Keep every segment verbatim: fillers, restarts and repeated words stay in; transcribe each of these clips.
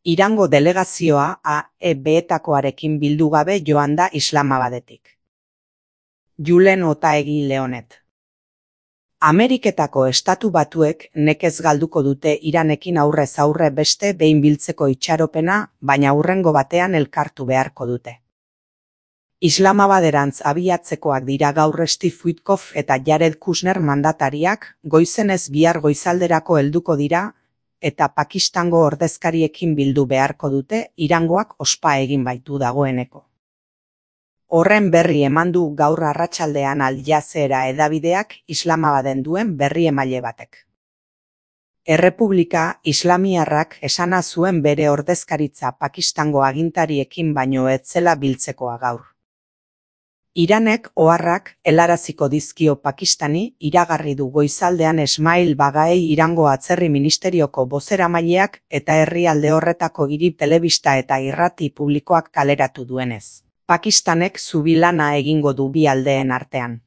Irango delegazioa A E B-etakoarekin bildu gabe joan da Islamabadetik. Julen Otaegi Leonet. Ameriketako Estatu Batuek nekez galduko dute Iranekin aurrez aurre beste behin biltzeko itxaropena, baina hurrengo batean elkartu beharko dute. Islamabaderantz abiatzekoak dira gaur Steve Witkoff eta Jared Kushner mandatariak, goizenez bihar goizalderako helduko dira, eta Pakistango ordezkariekin bildu beharko dute, Irangoak ospa egin baitu dagoeneko. Horren berri eman du gaur arratsaldean Al Jazeera hedabideak Islamabaden duen berri emaile batek. Errepublika Islamiarrak esana zuen bere ordezkaritza Pakistango agintariekin baino ez zela biltzekoa gaur. Iranek oharrak helaraziko dizkio Pakistani, iragarri du goizaldean Esmail Bagaei Irango Atzerri Ministerioko bozeramaileak eta herrialde horretako hiri telebista eta irrati publikoak kaleratu duenez. Pakistanek zubilana egingo du bi aldeen artean.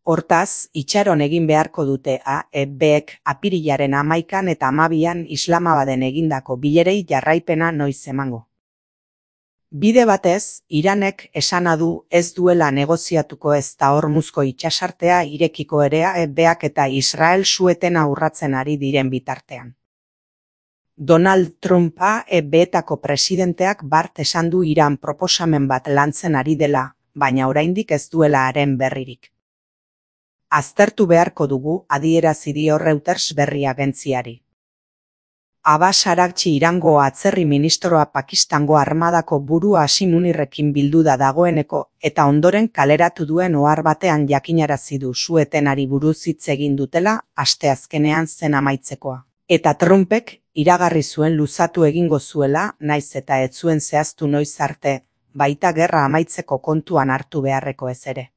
Hortaz, itxaron egin beharko dute A E Bek apirilaren hamaikan eta hamabian Islamabaden egindako bilerei jarraipena noiz emango. Bide batez, Iranek esana du ez duela negoziatuko ez da Hormuzko itsasartea irekiko ere A E Bak eta Israel su-etena urratzen ari diren bitartean. Donald Trump A E B-etako presidenteak bart esan du Iran proposamen bat lantzen ari dela, baina oraindik ez duela haren berririk. Aztertu beharko dugu, adierazi dio Reuters berri agentziari. Abbas Araghchi Irango Atzerri Ministroa Pakistango armadako buru Hashim Munirrekin bildu da dagoeneko, eta ondoren kaleratu duen ohar batean jakinarazi du su-etenari buruz hitz egin dutela asteazkenean zen amaitzekoa. Eta Trumpek iragarri zuen luzatu egingo zuela, naiz eta ez zuen zehaztu noiz arte, baita gerra amaitzeko kontuan hartu beharreko ez ere.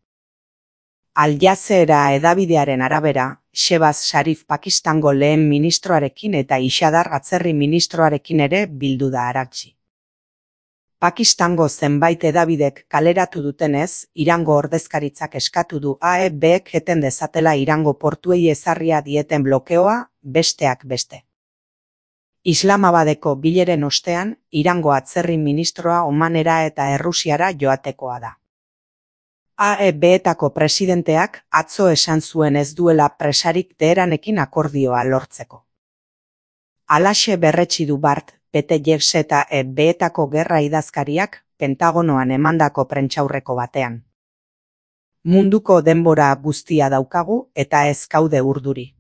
Al Jazeera hedabidearen arabera, Shehbaz Sharif Pakistango lehen ministroarekin eta Ishadar Atzerri ministroarekin ere bildu da Araghchi. Pakistango zenbait hedabidek kaleratu dutenez, Irango ordezkaritzak eskatu du A E Bek eten dezatela Irango portuei ezarria dieten blokeoa, besteak beste. Islamabadeko bileren ostean, Irango Atzerri ministroa Omanera eta Errusiara joatekoa da. A E B-etako presidenteak atzo esan zuen ez duela presarik Teheranekin akordioa lortzeko. Halaxe berretsi du bart, B'Tselem eta A E B-etako gerra idazkariak Pentagonoan emandako prentsaurreko batean. Munduko denbora guztia daukagu eta ez gaude urduri.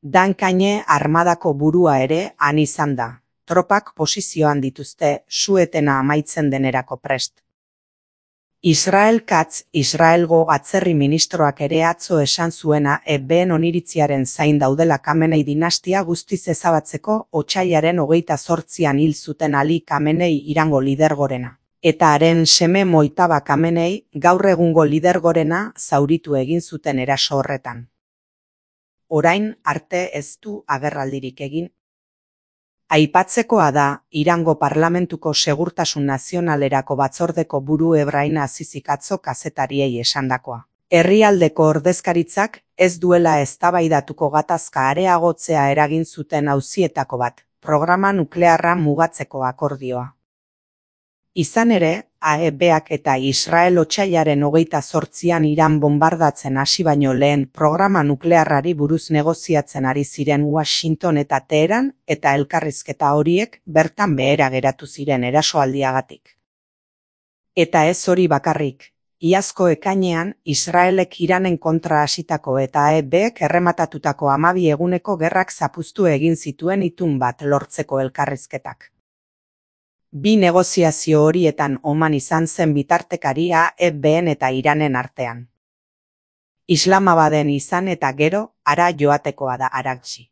Dan Kanye armadako burua ere han izan da, tropak posizioan dituzte su-etena amaitzen denerako prest. Israel Katz, Israelgo Atzerri ministroak ere atzo esan zuena A E B-en oniritziaren zain daudela Khamenei dinastia guztiz ezabatzeko otsailaren hogeita zortzian hil zuten Ali Khamenei Irango lidergorena. Eta haren seme Mojtaba Khamenei gaur egungo lidergorena zauritu egin zuten eraso horretan. Orain arte ez du agerraldirik egin. Aipatzekoa da, Irango Parlamentuko Segurtasun Nazionalerako batzordeko buru Ebrahim Azizik atzo kazetariei esandakoa. Herrialdeko ordezkaritzak ez duela eztabaidatuko gatazka areagotzea eragin zuten auzietako bat, programa nuklearra mugatzeko akordioa. Izan ere, A E Bak eta Israel otsailaren hogeita zortzian Iran bombardatzen hasi baino lehen programa nuklearrari buruz negoziatzen ari ziren Washington eta Teheran, eta elkarrizketa horiek bertan behera geratu ziren erasoaldiagatik. Eta ez hori bakarrik, iazko ekainean Israelek Iranen kontra hasitako eta A E Bek errematatutako hamabi eguneko gerrak zapuztu egin zituen itun bat lortzeko elkarrizketak. Bi negoziazio horietan Oman izan zen bitartekari A E B-en eta Iranen artean. Islamabaden izan eta gero, hara joatekoa da Araghchi.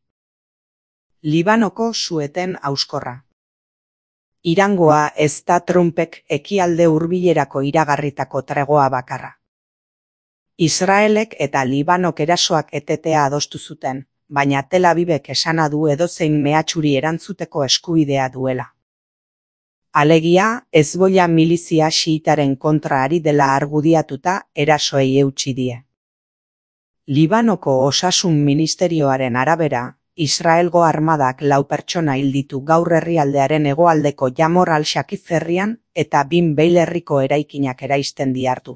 Libanoko su-eten hauskorra. Irangoa ez da Trumpek ekialde hurbilerako iragarritako tregoa bakarra. Israelek eta Libanok erasoak etetea adostu zuten, baina Tel Avivek esana du edozein mehatxuri erantzuteko eskubidea duela. Alegia, Hezbollah milizia xiitaren kontra ari dela argudiatuta erasoei eutsi die. Libanoko Osasun Ministerioaren arabera, Israelgo armadak lau pertsona hil ditu gaur herrialdearen hegoaldeko Jamor al-Shakif herrian eta Bin Beil herriko eraikinak eraisten dihardu.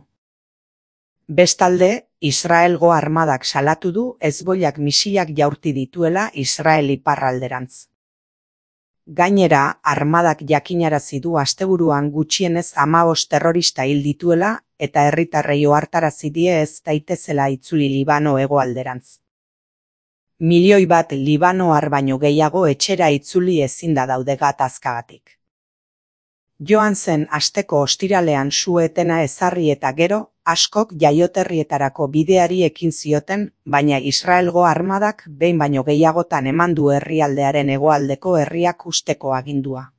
Bestalde, Israelgo armadak salatu du Hezbollak misilak jaurti dituela Israel iparralderantz. Gainera, armadak jakinarazi du asteburuan gutxienez hamabost terrorista hil dituela eta herritarrei ohartarazi die ez daitezela itzuli Libano hegoalderantz. Milioi bat libanoar baino gehiago etxera itzuli ezinda daude gatazkagatik. Joan zen asteko ostiralean su-etena ezarri eta gero, askok jaioterrietarako bideari ekin zioten, baina Israelgo armadak behin baino gehiagotan eman du herrialdearen hegoaldeko herriak husteko agindua.